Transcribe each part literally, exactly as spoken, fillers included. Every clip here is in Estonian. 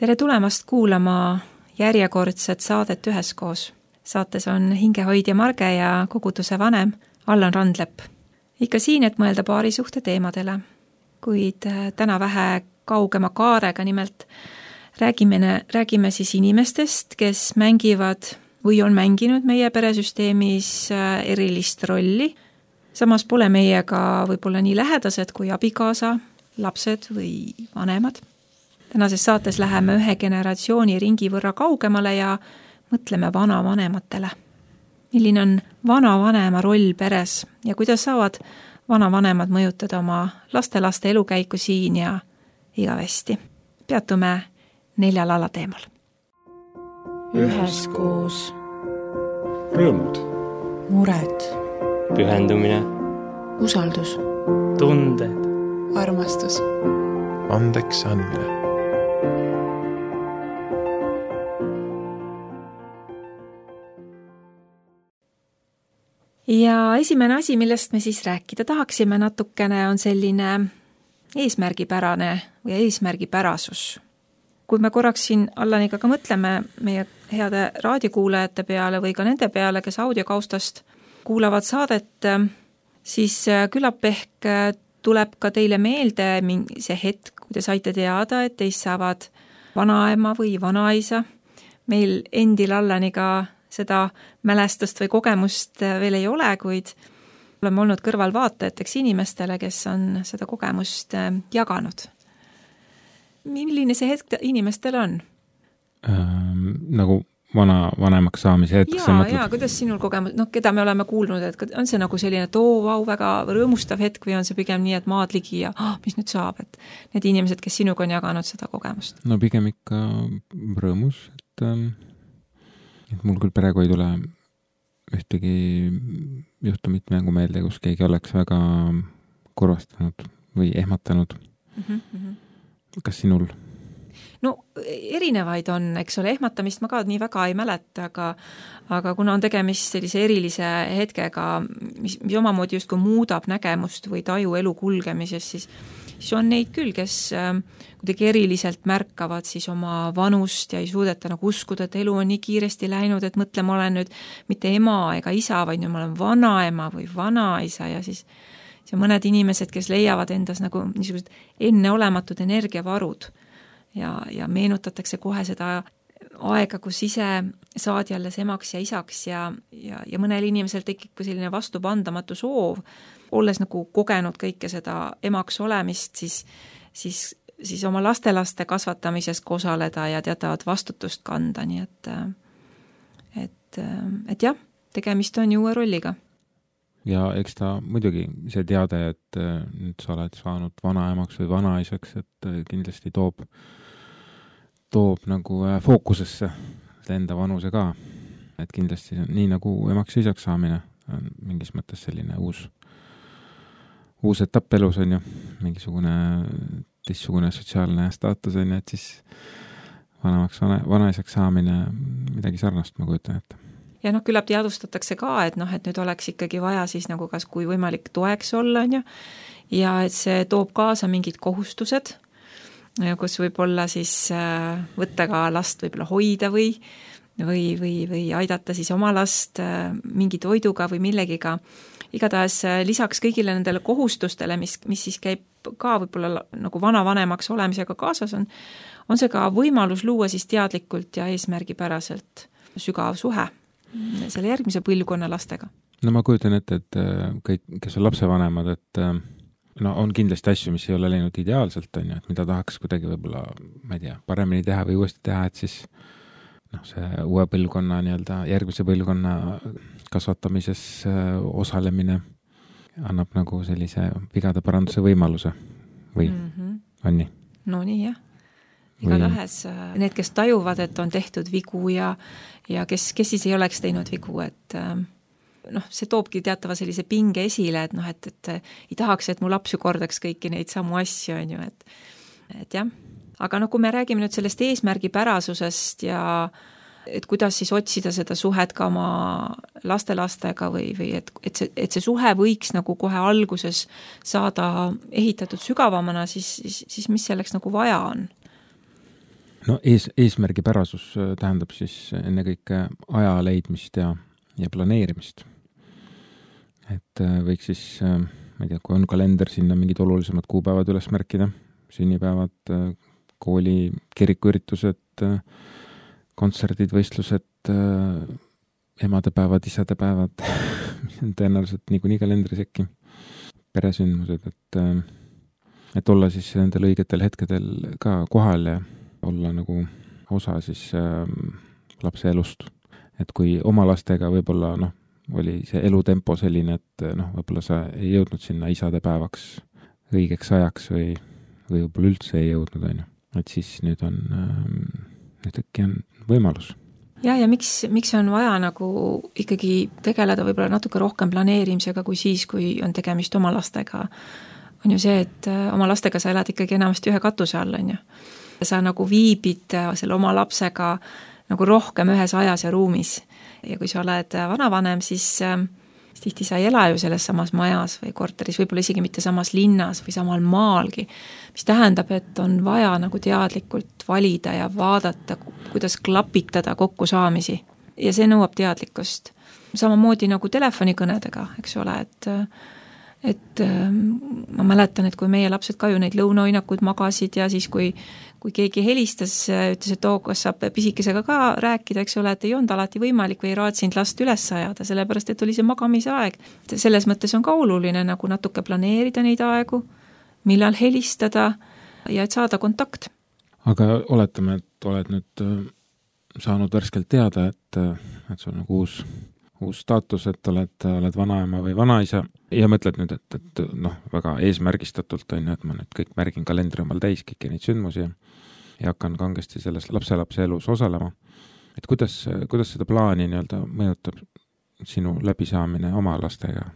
Tere tulemast kuulama järjekordset saadet üheskoos. Saates on hingehoidja Marge ja koguduse vanem Allan Randlepp. Ikka siin, et mõelda paarisuhte teemadele, kuid täna vähe kaugema kaarega, nimelt räägime, räägime siis inimestest, kes mängivad või on mänginud meie peresüsteemis erilist rolli. Samas pole meiega võib-olla nii lähedased kui abikaasa, lapsed või vanemad. Tänases saates läheme ühe generatsiooni ringi võrra kaugemale ja mõtleme vanavanematele. Milline on vanavanema roll peres ja kuidas saavad vanavanemad mõjutada oma lastelaste elukäiku siin ja igavesti. Peatume neljal alateemal. Üheskoos. Rõõmud. Mured. Pühendumine. Usaldus. Tunded. Armastus. Andeks andmine. Ja esimene asi, millest me siis rääkida tahaksime natukene, on selline eesmärgipärane või eesmärgipärasus. Kui me korraks siin Allaniga ka mõtleme meie heade raadiokuulajate peale või ka nende peale, kes audiokaustast kuulavad saadet, siis küllap ehk tuleb ka teile meelde see hetk, kui te saite teada, et teist saavad vanaema või vanaisa. Meil endil Allaniga seda mälestust või kogemust veel ei ole, kuid oleme olnud kõrvalvaatajateks inimestele, kes on seda kogemust jaganud. Milline see hetk inimestel on? Ähm, nagu vana, vanemaks saamise hetk. Jaa, jaa, kuidas sinul kogemus, noh, keda me oleme kuulnud, et on see nagu selline too, vau, väga rõõmustav hetk või on see pigem nii, et maad ligi ja oh, mis nüüd saab, et need inimesed, kes sinuga on jaganud seda kogemust? No pigem ikka rõõmus, et ähm, et mul küll praegu ei tule ühtegi juhtumit mängu meelde, kus keegi oleks väga kurvastanud või ehmatanud. Mm-hmm. Kas sinul? No erinevaid on, eks ole, ehmatamist ma ka nii väga ei mäleta, aga, aga kuna on tegemist sellise erilise hetkega, mis, mis omamoodi just kui muudab nägemust või taju elu kulgemises, siis, siis on neid küll, kes kuidagi eriliselt märkavad siis oma vanust ja ei suudeta nagu uskuda, et elu on nii kiiresti läinud, et mõtle, ma olen nüüd mitte ema ega isa, vaid nüüd ma olen vanaema või vanaisa ja siis see mõned inimesed, kes leiavad endas nagu niisugused enneolematud energiavarud ja, ja meenutatakse kohe seda aega, kus ise saad jälle emaks ja isaks ja, ja, ja mõnel inimesel tekib selline vastupandamatu soov, olles nagu kogenud kõike seda emaks olemist, siis, siis siis oma lastelaste kasvatamises osaleda ja teatavat vastutust kanda, nii et, et, et jah, tegemist on ju uue rolliga. Ja eks ta muidugi see teade, et nüüd sa oled saanud vanaemaks või vanaisaks, et kindlasti toob, toob nagu fookusesse enda vanuse ka. Et kindlasti nii nagu emaks ja isaks saamine on mingis mõttes selline uus, uus etapp elus on ju, mingisugune teistsugune sotsiaalne staatus on, et siis vanemaks, vana, vanaisaks saamine midagi sarnast, ma kujutan ette. Ja noh, küllap teadustatakse ka, et noh, et nüüd oleks ikkagi vaja siis nagu kas kui võimalik toeks olla, on ju, ja et see toob kaasa mingid kohustused, kus võib olla siis võtta ka last võib-olla hoida või, või, või, või aidata siis oma last mingi toiduga või millegiga. Igatahes lisaks kõigile nendele kohustustele, mis, mis siis käib ka võib-olla nagu vanavanemaks olemisega kaasas on, on see ka võimalus luua siis teadlikult ja eesmärgipäraselt sügav suhe selle järgmise põlvkonna lastega. No ma kujutan ette, et kõik, kes on lapsevanemad, et no on kindlasti asju, mis ei ole läinud ideaalselt, on ju, et mida tahaks kuidagi võib-olla, ma ei tea, paremini teha või uuesti teha, et siis noh, see uue põlvkonna, nii-öelda järgmise põlvkonna kasvatamises osalemine annab nagu sellise vigade paranduse võimaluse või mm-hmm. on nii? No nii, jah. Igatahes need, kes tajuvad, et on tehtud vigu ja, ja kes, kes siis ei oleks teinud vigu, et noh, see toobki teatava sellise pinge esile, et noh, et, et ei tahaks, et mu laps ju kordaks kõiki neid samu asju, on ju, et, et jah. Aga no kui me räägime nüüd sellest eesmärgipärasusest ja et kuidas siis otsida seda suhet ka oma lastelastega või, või et, et, see, et see suhe võiks nagu kohe alguses saada ehitatud sügavamana, siis, siis, siis mis selleks nagu vaja on? no ees, eesmärgipärasus tähendab siis ennekõike aja leidmist ja, ja planeerimist. Et võiks siis, ma ei tea, kui on kalender, sinna mingid olulisemad kuupäevad üles märkida, sünnipäevad, kooli, kirikuüritused, kontserdid, võistlused, emadepäevad, isadepäevad, mis on tõenäoliselt niikuinii kalendris äkki, peresündmused, et, et olla siis nendel õigetel hetkedel ka kohal ja olla nagu osa siis äh, lapse elust. Et kui oma lastega võib-olla noh, oli see elutempo selline, et noh, võib-olla sa ei jõudnud sinna isadepäevaks õigeks ajaks või, või võib-olla üldse ei jõudnud, on ju. Et siis nüüd on, äh, nüüd äkki on võimalus. Ja, ja miks, miks on vaja nagu ikkagi tegeleda võib-olla natuke rohkem planeerimisega kui siis, kui on tegemist oma lastega, on ju see, et oma lastega sa elad ikkagi enamasti ühe katuse all, on ju. Sa nagu viibid selle oma lapsega nagu rohkem ühes ajas ja ruumis. Ja kui sa oled vanavanem, siis, siis tihti sa ei ela ju selles samas majas või korteris, võib-olla isegi mitte samas linnas või samal maalgi, mis tähendab, et on vaja nagu teadlikult valida ja vaadata, kuidas klapitada kokkusaamisi. Ja see nõuab teadlikkust. Samamoodi nagu telefonikõnedega, eks ole, et et ma mäletan, et kui meie lapsed ka ju neid lõunaoinakud magasid ja siis kui, kui keegi helistas, ütles, et oo, kas saab pisikesega ka rääkida, eks ole, et ei olnud alati võimalik või ei raadsinud last üles ajada, sellepärast, et oli see magamise aeg. Selles mõttes on ka oluline nagu natuke planeerida neid aegu, millal helistada ja et saada kontakt. Aga oletame, et oled nüüd saanud värskelt teada, et, et sul on nagu uus uus staatus, et oled, oled vanaema või vanaisa ja mõtled nüüd, et, et noh, väga eesmärgistatult on ju, et ma nüüd kõik märgin kalendri omal täis, kõiki neid sündmusi ja, ja hakkan kangesti selles lapselapse elus osalema. Et kuidas, kuidas seda plaani nii-öelda mõjutab sinu läbisaamine oma lastega?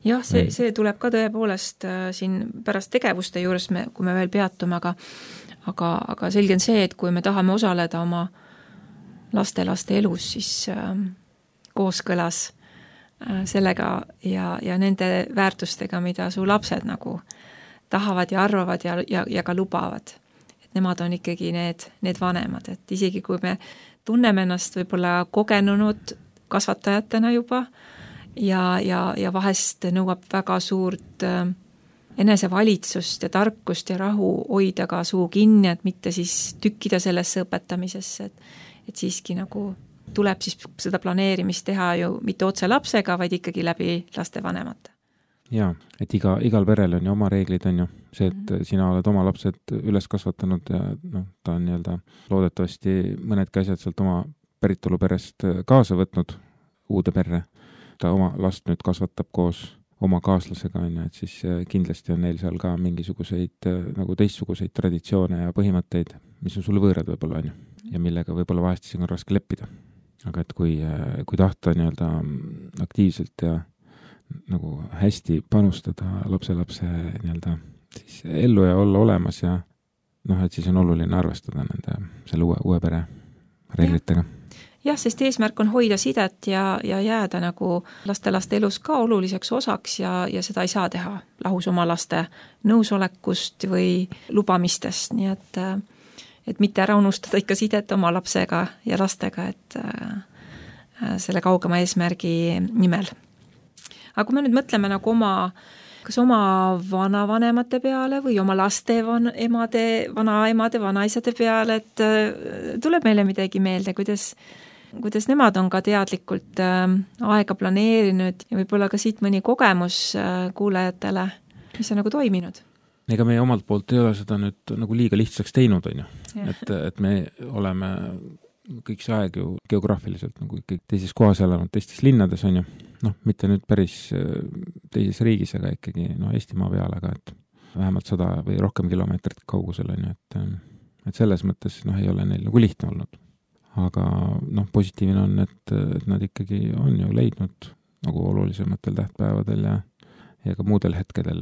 Jah, see, see tuleb ka tõepoolest äh, siin pärast tegevuste juures, me, kui me veel peatume, aga, aga, aga selge on see, et kui me tahame osaleda oma laste-laste elus, siis äh, kooskõlas sellega ja, ja nende väärtustega, mida su lapsed nagu tahavad ja arvavad ja, ja, ja ka lubavad. Et nemad on ikkagi need, need vanemad, et isegi kui me tunneme ennast võib-olla kogenunud kasvatajatena juba ja, ja, ja vahest nõuab väga suurt enesevalitsust ja tarkust ja rahu hoida ka suu kinni, et mitte siis tükkida sellesse õpetamisesse, et, et siiski nagu tuleb siis seda planeerimist teha ju mitte otse lapsega, vaid ikkagi läbi laste vanemate. Jaa, et iga, igal perel on ju oma reeglid, on ju see, et mm-hmm. sina oled oma lapsed üles kasvatanud ja noh, ta on nii-öelda loodetavasti mõnedki asjad sealt oma päritoluperest kaasa võtnud uude perre. Ta oma last nüüd kasvatab koos oma kaaslasega, on ju, et siis kindlasti on neil seal ka mingisuguseid nagu teistsuguseid traditsioone ja põhimõtteid, mis on sulle võõrad võib-olla, on ju, ja millega võib-olla vahest siin on raske leppida. Aga et kui, kui tahta nii-öelda aktiivselt ja nagu hästi panustada lapse-lapse nii-öelda siis ellu ja olla olemas ja noh, et siis on oluline arvestada nende selle uue, uue pere reeglitega. Jah, sest eesmärk on hoida sidet ja, ja jääda nagu laste-laste elus ka oluliseks osaks ja, ja seda ei saa teha lahus oma laste nõusolekust või lubamistest, nii et et mitte ära unustada ikka sidet oma lapsega ja lastega, et äh, selle kaugema eesmärgi nimel. Aga kui me nüüd mõtleme nagu oma, kas oma vanavanemate peale või oma laste van, emade, vanaemade, vanaisade peale, et äh, tuleb meile midagi meelde, kuidas, kuidas nemad on ka teadlikult äh, aega planeerinud ja võib-olla ka siit mõni kogemus äh, kuulajatele, mis on nagu toiminud. Ega meie omalt poolt ei ole seda nüüd nagu liiga lihtsaks teinud, on ju. Et, et me oleme kõik see aeg ju geograafiliselt nagu kõik teises kohas elanud, teistes linnades, on ju. Noh, mitte nüüd päris teises riigis, aga ikkagi no, Eestimaa peale, aga et vähemalt sada või rohkem kilomeetrit kaugusel, on ju. Et, et selles mõttes noh, ei ole neil nagu lihtne olnud. Aga noh, positiivne on, et, et nad ikkagi on ju leidnud nagu olulisematel tähtpäevadel ja, ja ka muudel hetkedel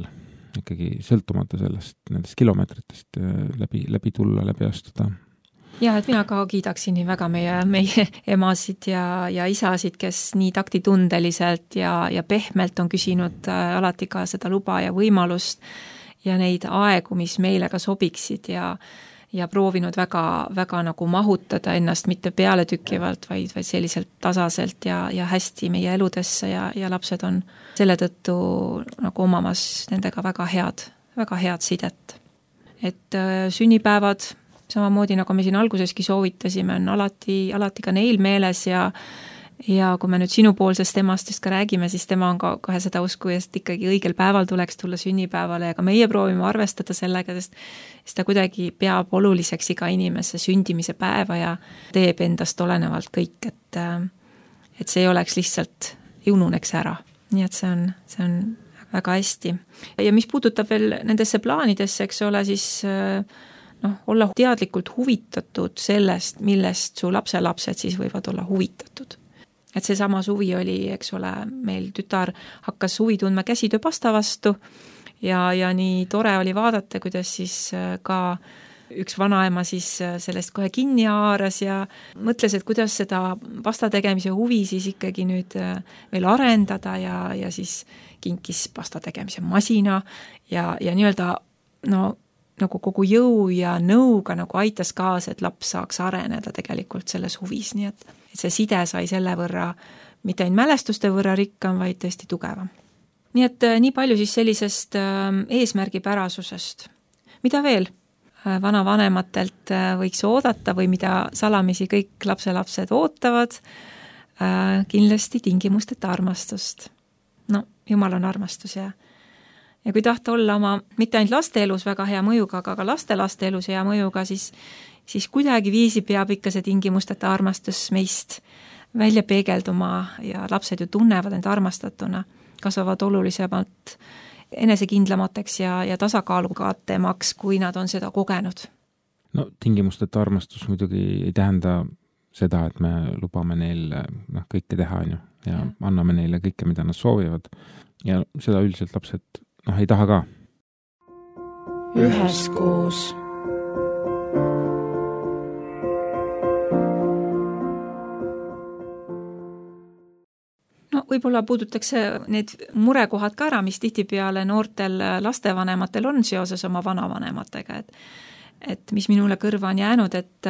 ikkagi sõltumata sellest, nendest kilomeetritest läbi, läbi tulla, läbi astuda. Ja, et mina ka kiidaksin nii väga meie, meie emasid ja, ja isasid, kes nii taktitundeliselt ja, ja pehmelt on küsinud alati ka seda luba ja võimalust ja neid aegu, mis meile ka sobiksid ja, ja proovinud väga, väga nagu mahutada ennast mitte pealetükkivalt, vaid, vaid selliselt tasaselt ja, ja hästi meie eludesse ja, ja lapsed on selle tõttu nagu omamas nendega väga head, väga head sidet. Et äh, sünnipäevad, samamoodi nagu me siin alguseski soovitasime, on alati, alati ka neil meeles ja ja kui me nüüd sinupoolsest temastest ka räägime, siis tema on ka kohe seda usku, et ikkagi õigel päeval tuleks tulla sünnipäevale ja ka meie proovime arvestada sellega, sest, sest ta kuidagi peab oluliseks iga inimese sündimise päeva ja teeb endast olenevalt kõik, et, et see ei oleks lihtsalt ununeks ära. Nii et see on, see on väga hästi. Ja mis puudutab veel nendesse plaanidesse, eks ole, siis noh, olla teadlikult huvitatud sellest, millest su lapselapsed siis võivad olla huvitatud. Et see sama suvi oli, eks ole, meil tütar hakkas huvi tundma käsitööpasta vastu ja, ja nii tore oli vaadata, kuidas siis ka üks vanaema siis sellest kohe kinni haaras ja mõtles, et kuidas seda pasta tegemise huvi siis ikkagi nüüd veel arendada ja, ja siis kinkis pasta tegemise masina ja, ja nii-öelda no, nagu kogu jõu ja nõuga nagu aitas kaasa, et laps saaks areneda tegelikult selles huvis, nii et et see side sai selle võrra, mitte ainult mälestuste võrra rikkam, vaid tõesti tugevam. Nii et nii palju siis sellisest eesmärgipärasusest. Mida veel vanavanematelt võiks oodata või mida salamisi kõik lapselapsed ootavad? Kindlasti tingimusteta armastust. No, Jumal on armastus ja ja kui tahta olla oma, mitte ainult laste elus väga hea mõjuga, aga ka laste laste elus hea mõjuga, siis siis kuidagi viisi peab ikka see tingimusteta armastus meist välja peegelduma ja lapsed ju tunnevad end armastatuna, kasvavad olulisemalt enesekindlamateks ja, ja tasakaalukatemaks, kui nad on seda kogenud. No tingimusteta armastus muidugi ei tähenda seda, et me lubame neil noh, kõike teha on ju, ja, ja anname neile kõike, mida nad soovivad ja seda üldiselt lapsed noh, ei taha ka. Üheskoos. No võib-olla puudutakse need murekohad ka ära, mis tihtipeale noortel lastevanematel on seoses oma vanavanematega, et et mis minule kõrva on jäänud, et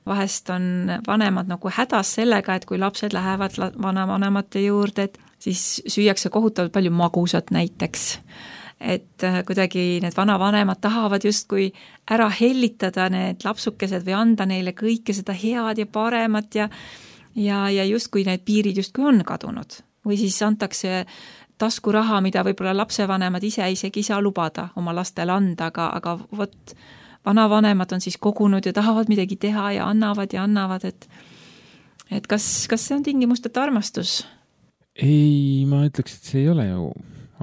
vahest on vanemad nagu hädas sellega, et kui lapsed lähevad vanavanemate juurde, et siis süüakse kohutavalt palju magusat näiteks. Et kuidagi need vanavanemad tahavad justkui ära hellitada need lapsukesed või anda neile kõike seda head ja paremat ja ja, ja justkui need piirid justkui on kadunud. Või siis antakse taskuraha, mida võib-olla lapsevanemad ise isegi ei saa lubada oma lastele anda, aga, aga vot vanavanemad on siis kogunud ja tahavad midagi teha ja annavad ja annavad, et et kas, kas see on tingimusteta armastus? Ei, ma ütleks, et see ei ole ju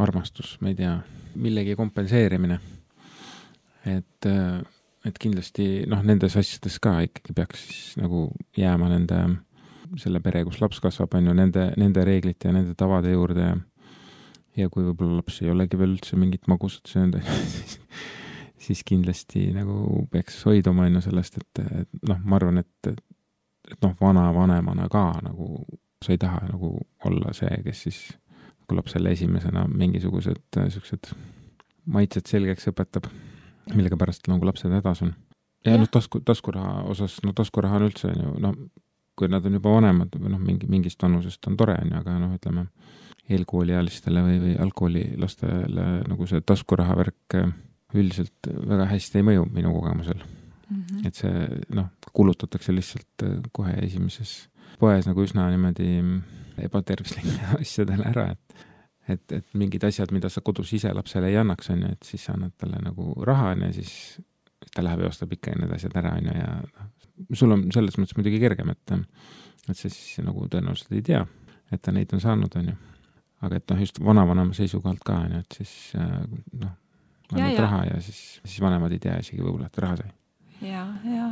armastus, ma ei tea, millegi kompenseerimine. Et, et kindlasti noh, nendes asjades ka ikkagi peaks siis nagu jääma nende selle pere, kus laps kasvab, on ju nende, nende reeglite ja nende tavade juurde ja, ja kui võib-olla laps ei olegi veel üldse mingit magusat söönud, siis, siis kindlasti nagu peaks hoiduma on ju sellest, et, et noh, ma arvan, et, et noh, vana vanemana ka nagu sa ei taha nagu olla see, kes siis kui lapsele esimesena mingisugused sellised maitsed selgeks õpetab, millega pärast nagu lapsed hädas on. Ja, ja. noh, tasku, taskuraha osas, no taskuraha on üldse ju, no kui nad on juba vanemad või noh, mingi, mingist vanusest on tore, on ju, aga noh, ütleme eelkooliealistele või, või algkoolilastele nagu see taskuraha värk üldiselt väga hästi ei mõju minu kogemusel. Mm-hmm. Et see noh, kulutatakse lihtsalt kohe esimeses poes nagu üsna niimoodi ebatervislikele asjadele ära, et, et, et mingid asjad, mida sa kodus ise lapsele ei annaks, on ju, et siis sa annad talle nagu raha, on ju, siis ta läheb ja ostab ikka need asjad ära, on ju, ja sul on selles mõttes muidugi kergem, et, et see siis nagu tõenäoliselt ei tea, et ta neid on saanud, on ju. Aga et noh, just vanavanema seisukohalt ka, on ju, et siis noh, annad raha ja siis, siis vanemad ei tea isegi võib-olla, et raha sai. Ja, ja.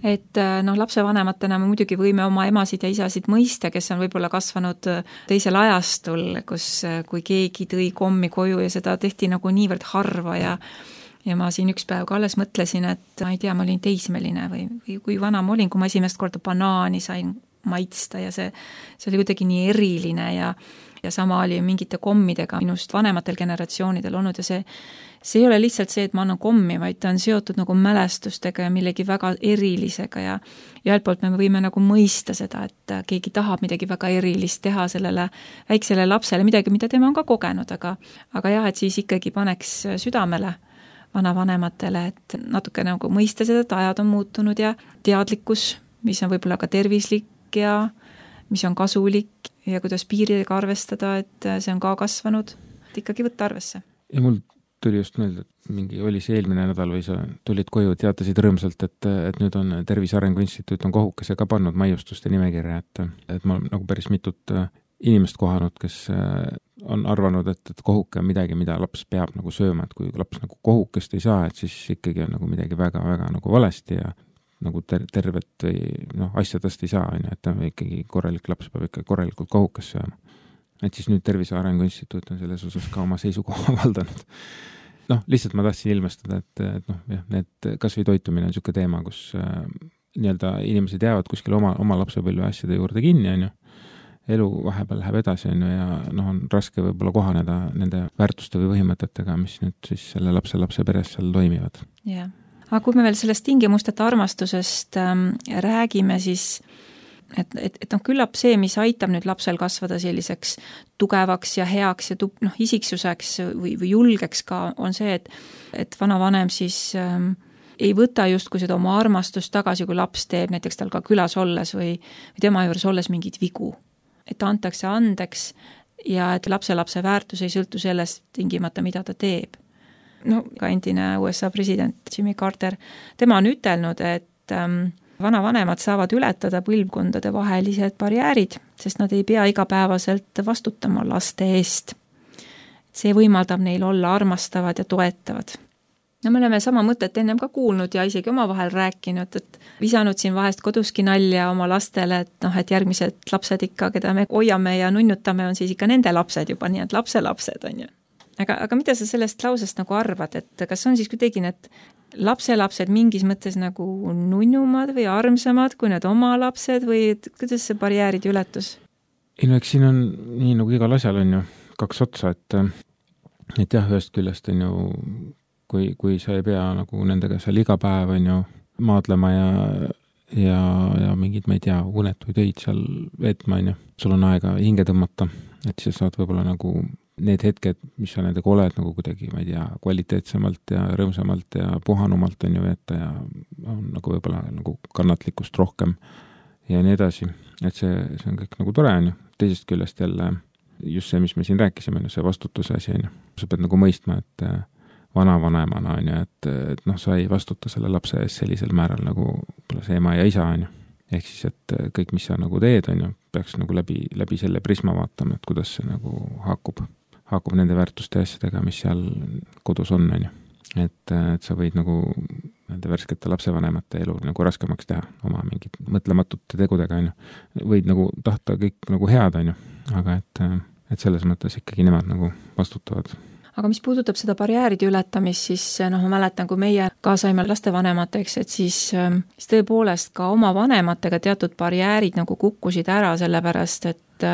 Et noh, lapsevanematena me muidugi võime oma emasid ja isasid mõista, kes on võib-olla kasvanud teisel ajastul, kus kui keegi tõi kommi koju ja seda tehti nagu niivõrd harva ja ja ma siin üks päev ka alles mõtlesin, et ma ei tea, ma olin teismeline või, või kui vana ma olin, kui ma esimest korda banaani sain maitsta ja see, see oli kuidagi nii eriline ja ja sama oli mingite kommidega minust vanematel generatsioonidel olnud ja see see ei ole lihtsalt see, et ma annan kommi, vaid ta on seotud nagu mälestustega ja millegi väga erilisega ja ja ühelt poolt me võime nagu mõista seda, et keegi tahab midagi väga erilist teha sellele väiksele lapsele, midagi, mida tema on ka kogenud, aga aga jah, et siis ikkagi paneks südamele vanavanematele, et natuke nagu mõista seda, et ajad on muutunud ja teadlikkus, mis on võib-olla ka tervislik ja mis on kasulik ja kuidas piiridega arvestada, et see on ka kasvanud, et ikkagi võtta arvesse. Ja mul tuli just meelde, et mingi oli see eelmine nädal või sa tulid koju, teatasid rõõmsalt, et, et nüüd on Tervise Arengu Instituut on kohukese ka pannud maiustuste nimekirja, et, et ma nagu päris mitut inimest kohanud, kes on arvanud, et, et kohuke on midagi, mida laps peab nagu sööma, et kui laps nagu kohukest ei saa, et siis ikkagi on nagu midagi väga-väga nagu valesti ja nagu ter- tervet või noh, asjadest ei saa, et ta ikkagi korralik laps peab ikka korralikult kohukest sööma. Et siis nüüd Tervise Arengu Instituut on selles osas ka oma seisukoha avaldanud. Noh, lihtsalt ma tahtsin ilmestada, et, et noh, jah, need kas või toitumine on niisugune teema, kus äh, nii-öelda inimesed jäävad kuskil oma, oma lapsepõlve asjade juurde kinni, on ju. Elu vahepeal läheb edasi, on ju, ja noh, on raske võib-olla kohaneda nende väärtuste või põhimõtetega, mis nüüd siis selle lapse lapse peres seal toimivad. Jah. Aga kui me veel sellest tingimusteta armastusest ähm, räägime, siis et, et, et noh, küllap see, mis aitab nüüd lapsel kasvada selliseks tugevaks ja heaks ja tu, noh, isiksuseks või, või julgeks ka, on see, et, et vanavanem siis ähm, ei võta justkui seda oma armastust tagasi, kui laps teeb näiteks tal ka külas olles või, või tema juures olles mingid vigu. Et antakse andeks ja et lapse-lapse väärtus ei sõltu sellest tingimata, mida ta teeb. No, ka endine U S A president Jimmy Carter, tema on ütelnud, et ähm, vanavanemad saavad ületada põlvkondade vahelised barjäärid, sest nad ei pea igapäevaselt vastutama laste eest. See võimaldab neil olla armastavad ja toetavad. No me oleme sama mõtet ennem ka kuulnud ja isegi oma vahel rääkinud, et visanud siin vahest koduski nalja oma lastele, et noh, et järgmised lapsed ikka, keda me hoiame ja nunnutame, on siis ikka nende lapsed juba, nii et lapse-lapsed on ju. Aga, aga mida sa sellest lausest nagu arvad, et kas on siis kuidagi need lapselapsed mingis mõttes nagu nunnumad või armsamad kui need oma lapsed või et kuidas see barjäärid ületus? Ei no eks siin on nii nagu igal asjal on ju kaks otsa, et, et jah, ühest küljest on ju, kui, kui sa ei pea nagu nendega seal iga päev on ju maadlema ja, ja, ja mingid, ma ei tea, unetuid öid seal veetma on ju, sul on aega hinge tõmmata, et siis saad võib-olla nagu need hetked, mis sa nendega oled nagu kuidagi, ma ei tea, kvaliteetsemalt ja rõõmsamalt ja puhanumalt on ju veeta ja on nagu võib-olla nagu kannatlikkust rohkem ja nii edasi. Et see, see on kõik nagu tore on ju. Teisest küljest jälle just see, mis me siin rääkisime, see vastutuse asi on ju. Sa pead nagu mõistma, et vanavanemana on ju, et, et noh, sa ei vastuta selle lapse ees sellisel määral nagu see ema ja isa on ju. Ehk siis, et kõik, mis sa nagu teed on ju, peaks nagu läbi, läbi selle prisma vaatama, et kuidas see nagu haakub. haakub nende väärtuste asjadega, mis seal kodus on, on ju. Et, et sa võid nagu nende värskete lapsevanemate elu nagu raskemaks teha oma mingid mõtlematute tegudega, on ju. Võid nagu tahta kõik nagu head, on ju. Aga et, et selles mõttes ikkagi nemad nagu vastutavad. Aga mis puudutab seda barjääride ületamist, siis noh, ma mäletan, kui meie ka saime lastevanemateks, et siis, siis tõepoolest ka oma vanematega teatud barjäärid nagu kukkusid ära, sellepärast, et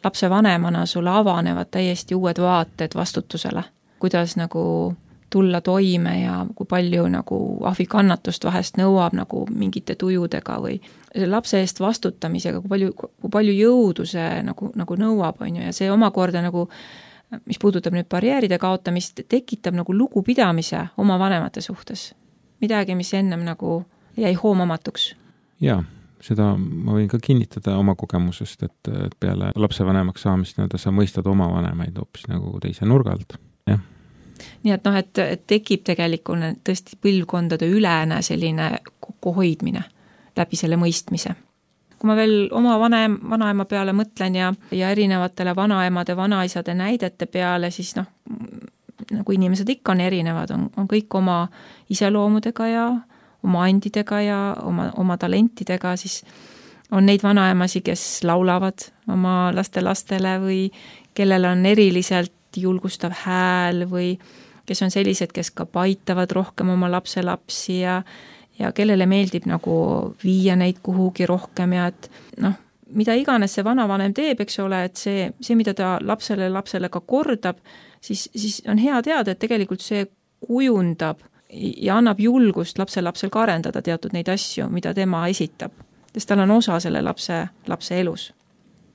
lapse vanemana sulle avanevad täiesti uued vaated vastutusele, kuidas nagu tulla toime ja kui palju nagu ahvikannatust vahest nõuab nagu mingite tujudega või lapse eest vastutamisega, kui palju, kui palju jõudu see nagu, nagu nõuab, on ju, ja see omakorda nagu, mis puudutab nüüd barjääride kaotamist, tekitab nagu lugupidamise oma vanemate suhtes. Midagi, mis ennem nagu jäi hoomamatuks. Jaa. Seda ma võin ka kinnitada oma kogemusest, et peale lapsevanemaks saamist nii-öelda sa mõistad oma vanemaid hoopis nagu teise nurga alt. Jah. Nii et noh, et, et tekib tegelikult tõesti põlvkondade ülene selline kokkuhoidmine läbi selle mõistmise. Kui ma veel oma vanem, vanaema peale mõtlen ja, ja erinevatele vanaemade, vanaisade näidete peale, siis noh, nagu inimesed ikka on erinevad, on, on kõik oma iseloomudega ja oma andidega ja oma, oma talentidega, siis on neid vanaemasi, kes laulavad oma laste-lastele või kellel on eriliselt julgustav hääl või kes on sellised, kes ka paitavad rohkem oma lapse-lapsi ja, ja kellele meeldib nagu viia neid kuhugi rohkem ja et noh, mida iganes see vanavanem teeb, eks ole, et see, see, mida ta lapsele, lapsele ka kordab, siis, siis on hea teada, et tegelikult see kujundab ja annab julgust lapse lapsel ka arendada teatud neid asju, mida tema esitab, sest tal on osa selle lapse, lapse elus.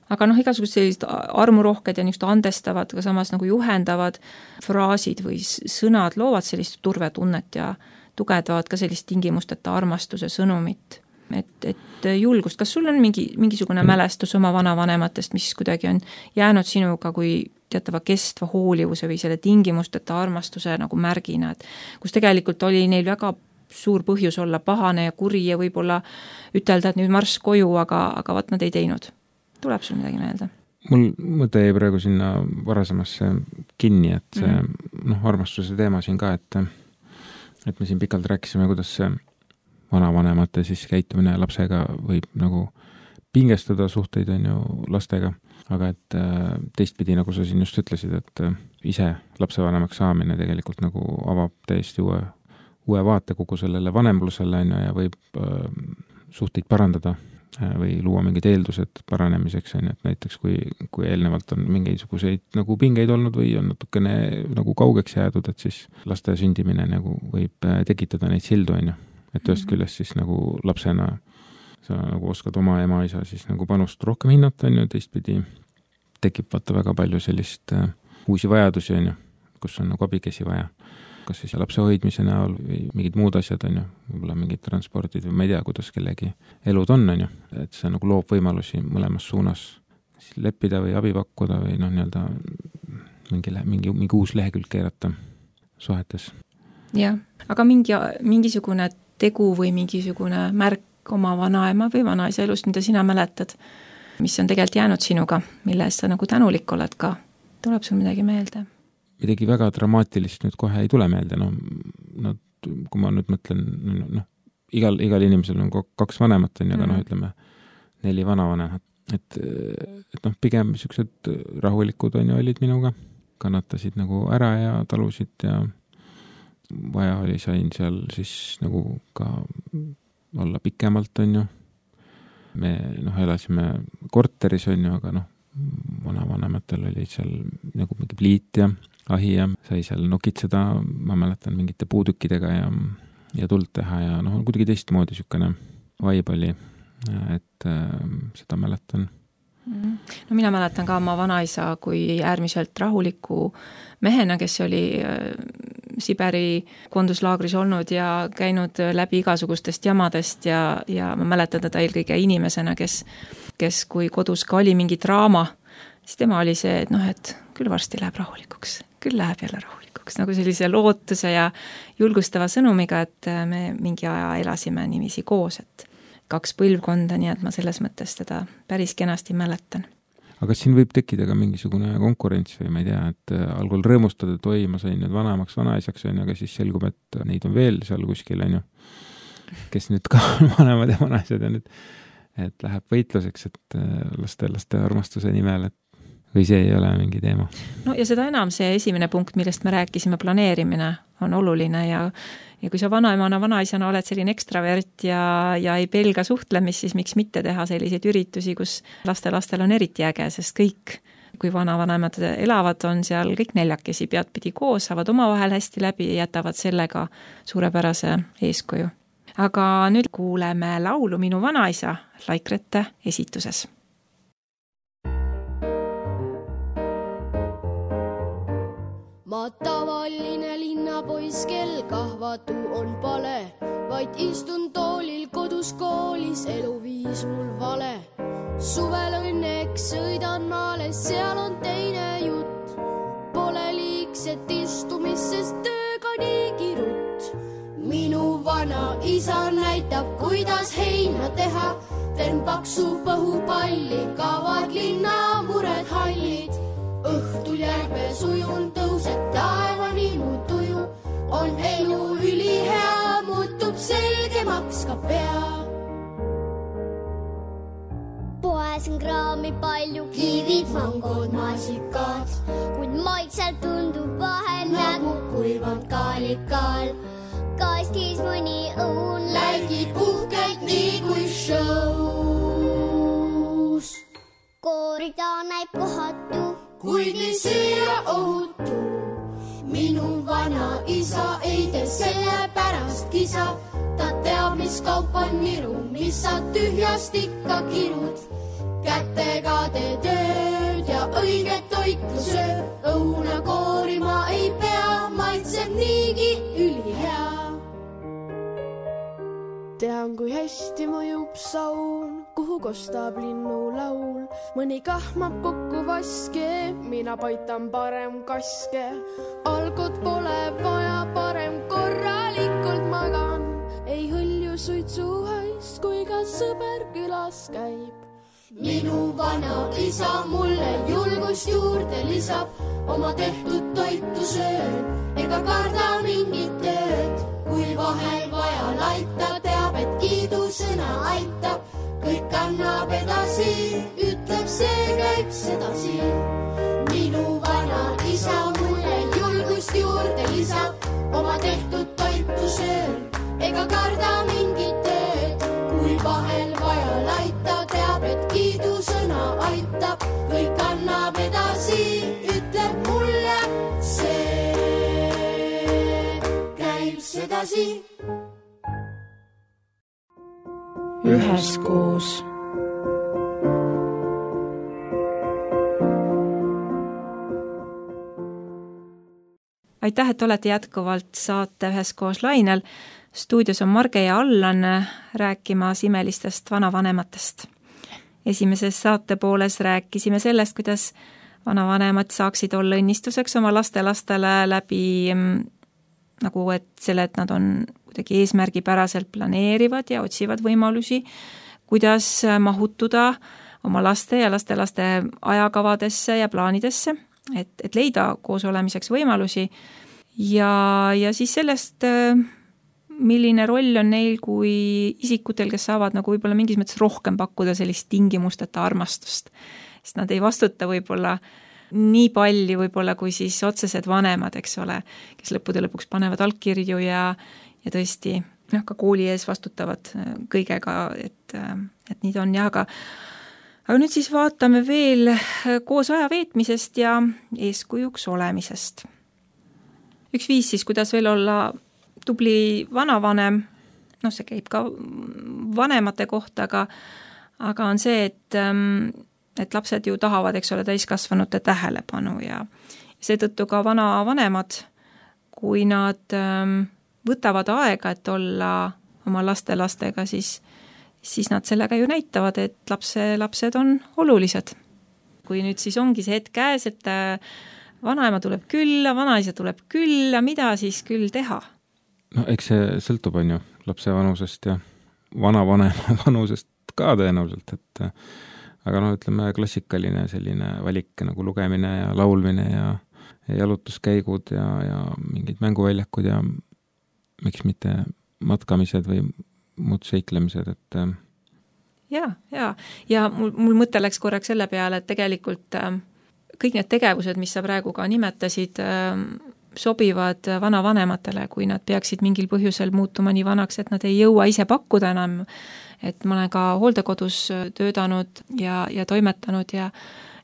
Aga noh, igasugused sellised armurohked ja niisugused andestavad, aga samas nagu juhendavad fraasid või sõnad loovad sellist turvetunnet ja tugevdavad ka sellist tingimusteta armastuse sõnumit. Et, et julgust, kas sul on mingi, mingisugune mälestus oma vanavanematest, mis kuidagi on jäänud sinuga kui teatava kestva hoolivuse või selle tingimusteta armastuse nagu märgina, et kus tegelikult oli neil väga suur põhjus olla pahane ja kuri ja võib-olla ütelda, et nüüd marss koju, aga, aga vaat nad ei teinud. Tuleb sul midagi meelde? Mul mõte jäi praegu sinna varasemasse kinni, et see mm -hmm. noh, armastuse teema siin ka, et, et me siin pikalt rääkisime, kuidas see vanavanemate siis käitumine lapsega võib nagu pingestada suhteid on ju lastega, aga et teistpidi, nagu sa siin just ütlesid, et ise lapsevanemaks saamine tegelikult nagu avab täiesti uue, uue vaate kogu sellele vanemlusele on ju, ja võib suhteid parandada või luua mingid eeldused paranemiseks, on, et näiteks kui, kui eelnevalt on mingisuguseid nagu pingeid olnud või on natukene nagu kaugeks jäädud, et siis laste sündimine nagu võib tekitada neid sildu, on ju. Et ühest küljest siis nagu lapsena sa nagu oskad oma ema-isa siis nagu panust rohkem hinnata, on ju, teistpidi tekib vaata väga palju sellist uh, uusi vajadusi, on ju, kus on nagu abikesi vaja. Kas siis lapse hoidmise näol või mingid muud asjad, on ju, võib-olla mingid transpordid või ma ei tea, kuidas kellegi elud on, on ju, et see nagu loob võimalusi mõlemas suunas leppida või abi pakkuda või noh, nii-öelda mingi, mingi, mingi uus lehekülg keerata suhetes. Jah, aga mingi, mingisugune tegu või mingisugune märk oma vanaema või vanaisa elust, mida sina mäletad, mis on tegelikult jäänud sinuga, mille eest sa nagu tänulik oled ka, tuleb sul midagi meelde? Midagi väga dramaatilist nüüd kohe ei tule meelde, no, no kui ma nüüd mõtlen, noh, igal, igal inimesel on kaks vanemat, on, aga mm. noh, ütleme, neli vanavanemat, et, et noh, pigem niisugused rahulikud on ju olid minuga, kannatasid nagu ära ja talusid ja vaja oli, sain seal siis nagu ka olla pikemalt, on ju. Me noh, elasime korteris, on ju, aga noh, vanavanematel oli seal nagu mingi pliit ja ahi ja sai seal nokitseda, ma mäletan, mingite puudükkidega ja, ja tuld teha ja noh, kuidagi teistmoodi niisugune vaib oli, et äh, seda mäletan. No mina mäletan ka oma vanaisa kui äärmiselt rahuliku mehena, kes oli Siberi koonduslaagris olnud ja käinud läbi igasugustest jamadest ja, ja ma mäletan teda eelkõige inimesena, kes, kes kui kodus ka oli mingi draama, siis tema oli see, et noh, et küll varsti läheb rahulikuks, küll läheb jälle rahulikuks, nagu sellise lootuse ja julgustava sõnumiga, et me mingi aja elasime niiviisi koos, et kaks põlvkonda, nii et ma selles mõttes teda päris kenasti mäletan. Aga siin võib tekkida ka mingisugune konkurents või ma ei tea, et algul rõõmustada, et oi, ma sain nüüd vanaemaks, vanaisaks, on, aga siis selgub, et neid on veel seal kuskil, on ju, kes nüüd ka vanemad ja vanaisad ja nüüd, et läheb võitluseks, et laste, laste armastuse nimel, et või see ei ole mingi teema. No ja seda enam see esimene punkt, millest me rääkisime, planeerimine on oluline ja, ja kui sa vanaemana, vanaisana oled selline ekstravert ja, ja ei pelga suhtlemist, siis miks mitte teha selliseid üritusi, kus laste-lastel on eriti äge, sest kõik, kui vanavanemad elavad, on seal kõik neljakesi peadpidi koos, saavad omavahel hästi läbi ja jätavad sellega suurepärase eeskuju. Aga nüüd kuuleme laulu Minu vanaisa Laikrete esituses. Ma tavaline linnapoiss, kel kahvatu on pale, vaid istun toolil kodus koolis, eluviis mul vale. Suvel õnneks sõidan maale, seal on teine jutt. Pole liigset istumist, sest tööga niigi rutt. Minu vana isa näitab, kuidas heina teha. Teen paksu põhupalli, kaovad linna mured hallid. Õhtul järve sujun, tõuseb taevani mu tuju. On elu ülihea, muutub selgemaks ka pea. Poes on kraami palju, kivid, mangod, maasikad. Kuid maitsel tundub vahel nagu kuivanud kaalikaal. Kastis mõni õun läigid uhkelt nii kui shows. vaid kohatu, kuid nii süüa ohutu. Minu vana isa ei tee selle pärast kisa, ta teab, mis kaup on niru, mis sa tühjast ikka kirud. Kätega tee tööd ja õiget toitu söö, õuna koorima ei pea, maitseb niigi ülihea. Tean, kui hästi mõjub saun, kuhu kostab linnu laul. Mõni kahmab kokku vaske, mina paitan parem kaske. Algot pole vaja, parem korralikult magan. Ei hõlju suitsuhaist, kui ka sõber külas käib. Minu vana isa mulle julgust juurde lisab, oma tehtud toitu söön, ega karda mingit tööd. Kui vahel vaja laita, teab, et kiidusõna aitab, kõik kannab edasi, ütleb see, käib sedasi. Minu vana isa mulle julgust juurde lisab, oma tehtud toitu söön, ega karda mingit tööd. Kui vahel vaja laita, teab, et kiidusõna aitab, kõik kannab edasi, ütleb mulle see, käib sedasi. Üheskoos. Aitäh, et olete jätkuvalt saate Üheskoos lainel. Stuudios on Marge ja Allan rääkimas imelistest vanavanematest. Esimeses saate pooles rääkisime sellest, kuidas vanavanemad saaksid olla õnnistuseks oma lastelastele läbi nagu, et selle, et nad on kuidagi eesmärgipäraselt planeerivad ja otsivad võimalusi, kuidas mahutuda oma laste ja lastelaste ajakavadesse ja plaanidesse, et, et leida koos olemiseks võimalusi ja, ja siis sellest, milline roll on neil kui isikutel, kes saavad nagu võib-olla mingis mõttes rohkem pakkuda sellist tingimusteta armastust. Sest nad ei vastuta võib-olla nii palju võib-olla kui siis otsesed vanemad, eks ole, kes lõppude lõpuks panevad allkirju ja, ja tõesti noh, ka kooli ees vastutavad kõigega, et, et nii ta on ja aga aga nüüd siis vaatame veel koos aja veetmisest ja eeskujuks olemisest. Üks viis siis, kuidas veel olla tubli vanavanem, noh see käib ka vanemate kohta, aga, aga on see, et, et lapsed ju tahavad, eks ole, täiskasvanute tähelepanu ja seetõttu ka vanavanemad, kui nad võtavad aega, et olla oma laste-lastega, siis, siis nad sellega ju näitavad, et lapse, lapsed on olulised. Kui nüüd siis ongi see hetk käes, et vanaema tuleb külla, vanaisa tuleb külla, mida siis küll teha? No eks see sõltub, on ju, lapse vanusest ja vanavanema vanusest ka tõenäoliselt, et aga noh, ütleme klassikaline selline valik nagu lugemine ja laulmine ja, ja jalutuskäigud ja, ja mingid mänguväljakud ja miks mitte matkamised või muud seiklemised, et ja, ja, ja mul, mul mõte läks korraks selle peale, et tegelikult kõik need tegevused, mis sa praegu ka nimetasid, sobivad vanavanematele, kui nad peaksid mingil põhjusel muutuma nii vanaks, et nad ei jõua ise pakkuda enam, et ma olen ka hooldekodus töötanud ja, ja toimetanud ja,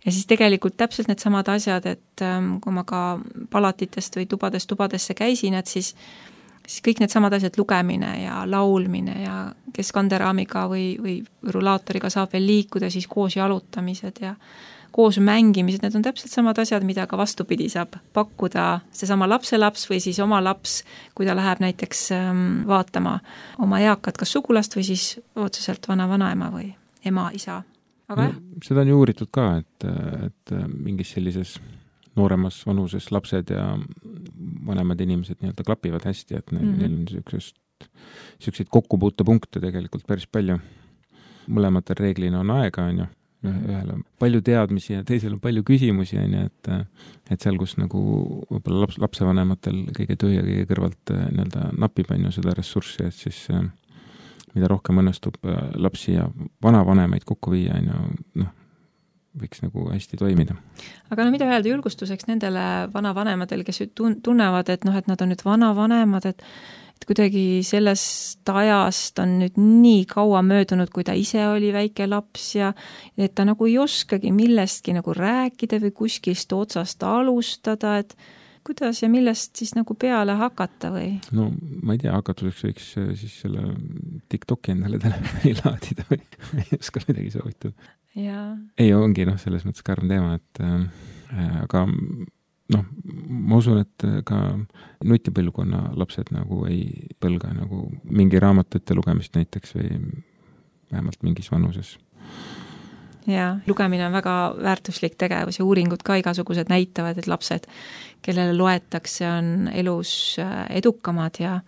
ja siis tegelikult täpselt need samad asjad, et kui ma ka palatitest või tubadest tubadesse käisin, et siis, siis kõik need samad asjad, lugemine ja laulmine ja kes kanderaamiga või, või rulaatoriga saab veel liikuda, siis koos jalutamised ja koos mängimised, need on täpselt samad asjad, mida ka vastupidi saab pakkuda seesama lapselaps või siis oma laps, kui ta läheb näiteks vaatama oma eakat kas sugulast või siis otseselt vana-vanaema või ema-isa. Aga no, seda on ju uuritud ka, et, et mingis sellises nooremas vanuses lapsed ja vanemad inimesed nii-öelda klapivad hästi, et neil, mm-hmm. neil on niisugusest, niisuguseid kokkupuutepunkte tegelikult päris palju. Mõlematel reeglina on aega, on ju. Ühel on palju teadmisi ja teisel on palju küsimusi, et, et seal, kus nagu võib-olla laps, lapsevanematel kõige töö ja kõige kõrvalt nii-öelda napib on ju seda ressurssi, et siis mida rohkem õnnestub lapsi ja vanavanemaid kokku viia, on ju, noh, võiks nagu hästi toimida. Aga no mida öelda julgustuseks nendele vanavanemadel, kes tunnevad, et noh, et nad on nüüd vanavanemad, et kuidagi sellest ajast on nüüd nii kaua möödunud, kui ta ise oli väike laps ja et ta nagu ei oskagi millestki nagu rääkida või kuskilst otsast alustada, et kuidas ja millest siis nagu peale hakata või? No ma ei tea, hakatuseks võiks siis selle TikToki endale telefoni laadida või ei oska midagi soovitada. Ja. Ei, ongi noh, selles mõttes karm teema, et äh, aga noh, ma usun, et ka nutipõlvkonna lapsed nagu ei põlga nagu mingi raamatu ette lugemist näiteks või vähemalt mingis vanuses. Ja, lugemine on väga väärtuslik tegevus ja uuringud ka igasugused näitavad, et lapsed, kellele loetakse, on elus edukamad ja,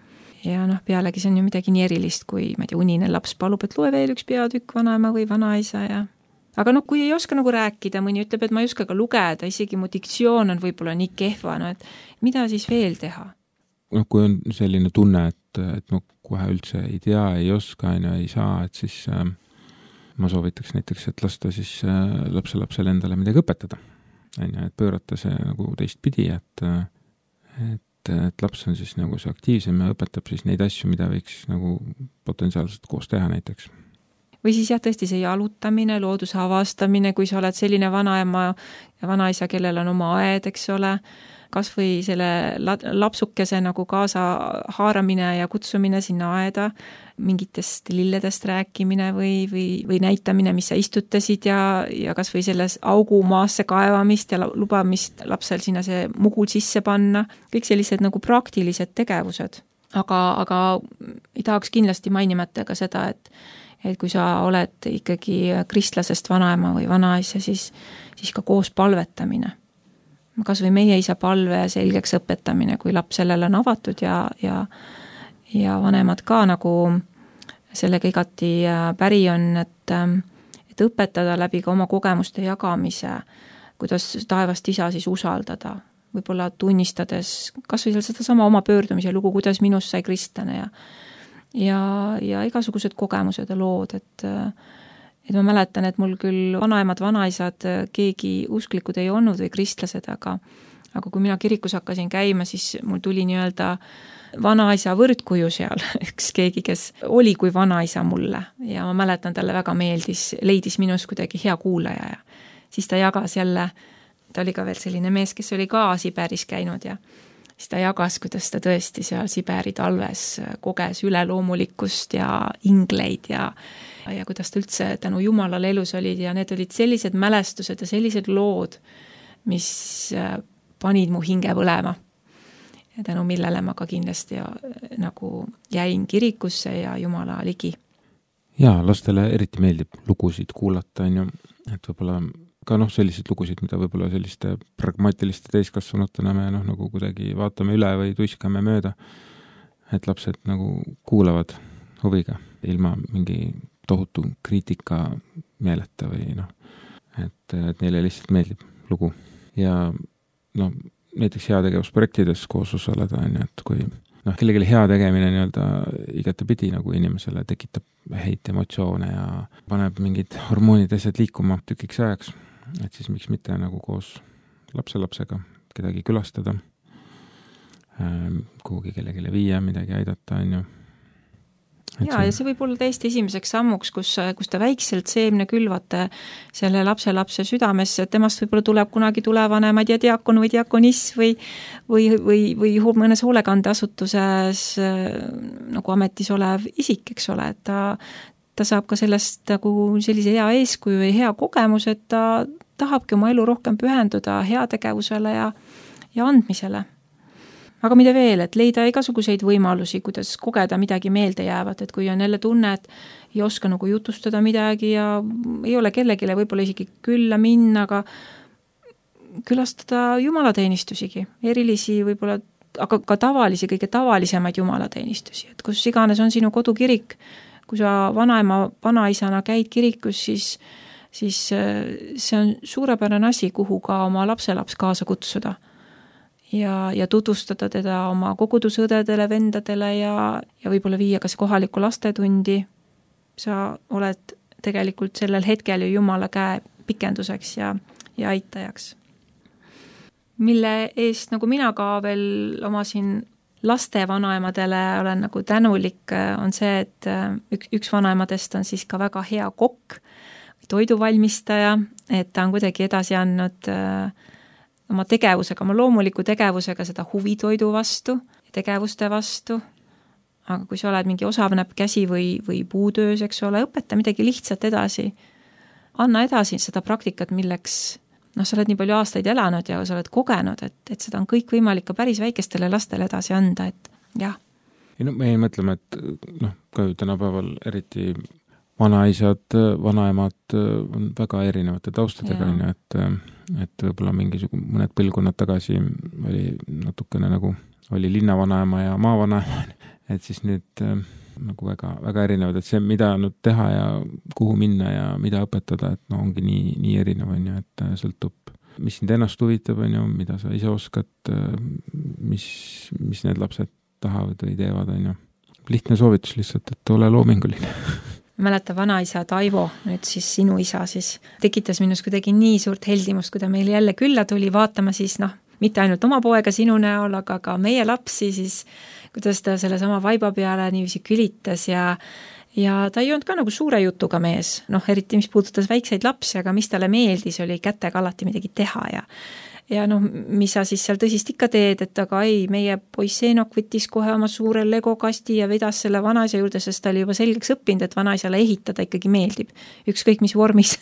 ja noh, pealegi see on ju midagi nii erilist, kui ma ei tea, unine laps palub, et loe veel üks peatükk vanaema või vanaisa ja aga noh, kui ei oska nagu rääkida, mõni ütleb, et ma ei oska ka lugeda, isegi mu diktsioon on võib-olla nii kehva, no et mida siis veel teha? No kui on selline tunne, et, et ma kohe üldse ei tea, ei oska, ei saa, et siis äh, ma soovitaks näiteks, et lasta siis äh, lapselapsele endale midagi õpetada. Et pöörata see nagu teistpidi, et, et, et laps on siis nagu see aktiivsem ja õpetab siis neid asju, mida võiks nagu potentsiaalselt koos teha näiteks. Või siis jah, tõesti see jalutamine, looduse avastamine, kui sa oled selline vanaema ja vanaisa, kellel on oma aed, eks ole, kas või selle lapsukese nagu kaasa haaramine ja kutsumine sinna aeda, mingitest lilledest rääkimine või, või, või näitamine, mis sa istutasid ja, ja kas või selles augu maasse kaevamist ja lubamist lapsel sinna see mugul sisse panna, kõik sellised nagu praktilised tegevused. Aga, aga ei tahaks kindlasti mainimata ka seda, et et kui sa oled ikkagi kristlasest vanaema või vanaisa, siis, siis ka koos palvetamine. Kas või meie isa palve selgeks õpetamine, kui laps sellele on avatud ja, ja, ja vanemad ka nagu sellega igati päri on, et, et õpetada läbi ka oma kogemuste jagamise, kuidas taevast isa siis usaldada, võib-olla tunnistades kas või seda sama oma pöördumise lugu, kuidas minust sai kristlane ja ja, ja igasugused kogemused ja lood, et, et ma mäletan, et mul küll vanaemad, vanaisad, keegi usklikud ei olnud või kristlased, aga, aga kui mina kirikus hakkasin käima, siis mul tuli nii-öelda vanaisa võrdkuju seal, üks keegi, kes oli kui vanaisa mulle ja ma mäletan, talle väga meeldis, leidis minus kuidagi hea kuulaja ja siis ta jagas jälle, ta oli ka veel selline mees, kes oli ka Siberis käinud ja siis ta jagas, kuidas ta tõesti seal Siberi talves koges üleloomulikkust ja ingleid ja, ja kuidas ta üldse tänu Jumalale elus olid ja need olid sellised mälestused ja sellised lood, mis panid mu hinge põlema. Ja tänu millele ma ka kindlasti ja, nagu jäin kirikusse ja Jumala ligi. Ja, lastele eriti meeldib lugusid kuulata, on ju, et võib-olla ka noh, sellised lugusid, mida võib-olla selliste pragmaatiliste täiskasvanutena me noh, nagu kuidagi vaatame üle või tuiskame mööda, et lapsed nagu kuulavad huviga ilma mingi tohutu kriitika meeleta või noh, et, et neile lihtsalt meeldib lugu. Ja noh, näiteks heategevusprojektides koos osaleda, on ju, et kui noh, kellelegi hea tegemine nii-öelda igatepidi nagu inimesele tekitab häid emotsioone ja paneb mingid hormoonid asjad liikuma tükiks ajaks, et siis miks mitte nagu koos lapselapsega kedagi külastada, kuhugi kellegile viia, midagi aidata, on ju. Ja, ja see võib olla täiesti esimeseks sammuks, kus, kus te väikselt seemne külvate selle lapselapse südamesse, et temast võib-olla tuleb kunagi tulevane, ma ei tea, diakon või diakoniss või, või, või, või mõnes hoolekandeasutuses nagu ametis olev isik, eks ole, et ta, ta saab ka sellest nagu sellise hea eeskuju ja hea kogemus, et ta tahabki oma elu rohkem pühenduda heategevusele ja, ja andmisele. Aga mida veel, et leida igasuguseid võimalusi, kuidas kogeda midagi meelde jäävat, et kui on jälle tunne, et ei oska nagu jutustada midagi ja ei ole kellegile võib-olla isegi külla minna, aga külastada jumalateenistusigi, erilisi võib-olla, aga ka tavalisi, kõige tavalisemaid jumalateenistusi, et kus iganes on sinu kodukirik, kui sa vanaema, vanaisana käid kirikus, siis, siis see on suurepärane asi, kuhu ka oma lapselaps kaasa kutsuda. Ja, ja tutvustada teda oma kogudusõdedele, vendadele ja, ja võib-olla viia kas kohalikku lastetundi. Sa oled tegelikult sellel hetkel ju Jumala käe pikenduseks ja, ja aitajaks. Mille eest, nagu mina ka veel omasin laste vanaemadele olen nagu tänulik, on see, et üks, üks vanaemadest on siis ka väga hea kokk, toiduvalmistaja, et ta on kuidagi edasi andnud oma tegevusega, oma loomuliku tegevusega seda huvi toidu vastu, tegevuste vastu, aga kui sa oled mingi osavnäpp käsi või, või puutöös, eks ole, õpeta midagi lihtsalt edasi, anna edasi seda praktikat, milleks noh, sa oled nii palju aastaid elanud ja sa oled kogenud, et, et seda on kõik võimalik ka päris väikestele lastele edasi anda, et jah. ei no me ei mõtleme, et noh, ka ju tänapäeval eriti vanaisad, vanaemad on väga erinevate taustadega, et, et võib-olla mingisugune mõned põlvkonnad tagasi oli natukene nagu, oli linnavanaema ja maavanaema, et siis nüüd nagu väga, väga erinevad, et see, mida nüüd teha ja kuhu minna ja mida õpetada, et no ongi nii, nii erinev, on ju, et sõltub, mis sind ennast huvitab, on ju, mida sa ise oskad, mis, mis need lapsed tahavad või teevad, on ju. Lihtne soovitus lihtsalt, et ole loominguline. Mäleta vanaisa Taivo, nüüd siis sinu isa siis, tekitas minus kuidagi nii suurt heldimust, kui ta meile jälle külla tuli vaatama siis noh, mitte ainult oma poega sinu näol, aga ka meie lapsi siis, kuidas ta selle sama vaiba peale niiviisi külitas ja, ja ta ei olnud ka nagu suure jutuga mees, noh eriti mis puudutas väikseid lapsi, aga mis talle meeldis, oli kätega alati midagi teha ja ja noh, mis sa siis seal tõsist ikka teed, et aga ei, meie poiss Eenok võttis kohe oma suure legokasti ja vedas selle vanaisa juurde, sest ta oli juba selgeks õppinud, et vanaisale ehitada ikkagi meeldib, ükskõik mis vormis.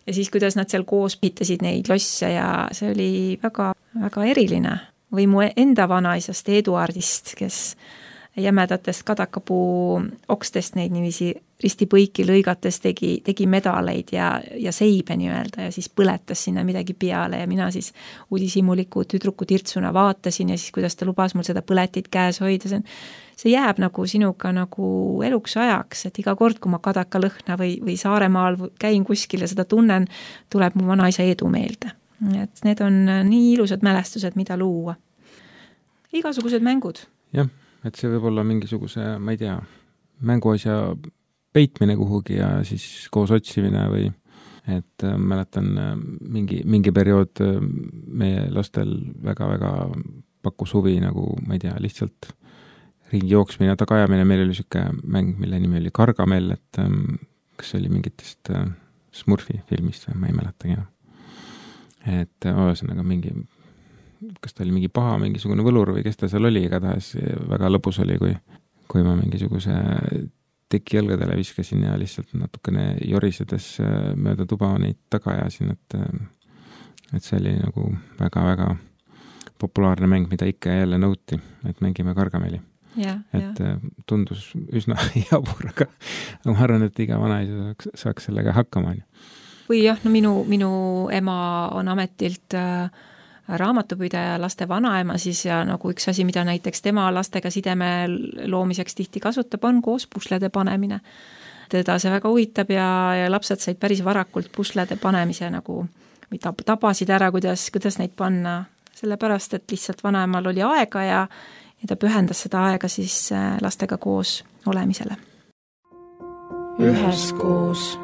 Ja siis, kuidas nad seal koos ehitasid neid losse ja see oli väga, väga eriline. Või mu enda vanaisast Eduardist, kes jämedatest kadakapuu okstest neid niiviisi ristipõiki lõigates tegi, tegi medaleid ja, ja seibe nii-öelda ja siis põletas sinna midagi peale ja mina siis uudishimuliku tüdruku tirtsuna vaatasin ja siis, kuidas ta lubas mul seda põletit käes hoida. See, see jääb nagu sinuga nagu eluks ajaks, et iga kord, kui ma kadaka lõhna või, või Saaremaal käin kuskil ja seda tunnen, tuleb mu vanaisa Edu meelde. Et need on nii ilusad mälestused, mida luua. Igasugused mängud. Jah, et see võib olla mingisuguse, ma ei tea, mänguasja peitmine kuhugi ja siis koos otsimine või et äh, mäletan äh, mingi, mingi periood äh, meie lastel väga-väga pakkus huvi nagu, ma ei tea, lihtsalt ringi jooksmine ja tagajamine. Meil oli siuke mäng, mille nimi oli Kargamell, et äh, kas oli mingitest äh, Smurfi filmist või ma ei mäletagi enam. Et ühesõnaga mingi, kas ta oli mingi paha, mingisugune võlur või kes ta seal oli, igatahes väga lõbus oli, kui, kui ma mingisuguse teki jalgadele viskasin ja lihtsalt natukene jorisedes mööda tuba neid taga ajasin, et, et see oli nagu väga-väga populaarne mäng, mida ikka ja jälle nõuti, et mängime Kargameli. Ja, et ja. Tundus üsna jabur, aga ma arvan, et iga vanaisa saaks, saaks sellega hakkama. Või jah, no minu, minu ema on ametilt äh, raamatupidaja laste vanaema siis ja nagu üks asi, mida näiteks tema lastega sideme loomiseks tihti kasutab, on koos puslede panemine. Teda see väga huvitab ja, ja lapsed said päris varakult puslede panemise nagu, mida tabasid ära, kuidas, kuidas neid panna, sellepärast, et lihtsalt vanaemal oli aega ja, ja ta pühendas seda aega siis lastega koos olemisele. Üheskoos.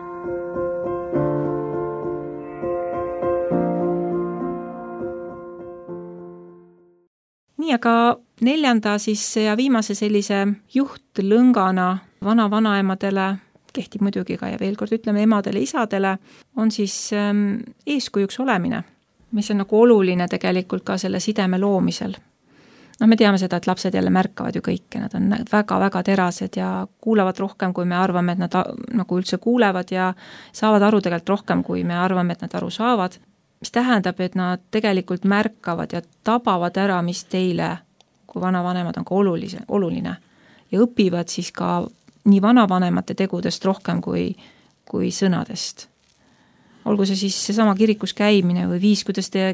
Nii, aga neljanda siis ja viimase sellise juhtlõngana vana-vanaemadele, kehtib muidugi ka ja veel kord ütleme emadele, isadele, on siis ähm, eeskujuks olemine, mis on nagu oluline tegelikult ka selle sideme loomisel. No me teame seda, et lapsed jälle märkavad ju kõike, nad on väga-väga terased ja kuulavad rohkem, kui me arvame, et nad nagu üldse kuulevad ja saavad aru tegelikult rohkem, kui me arvame, et nad aru saavad. Mis tähendab, et nad tegelikult märkavad ja tabavad ära, mis teile, kui vanavanemad on ka olulise, oluline ja õpivad siis ka nii vanavanemate tegudest rohkem kui, kui sõnadest. Olgu see siis seesama kirikus käimine või viis, kuidas te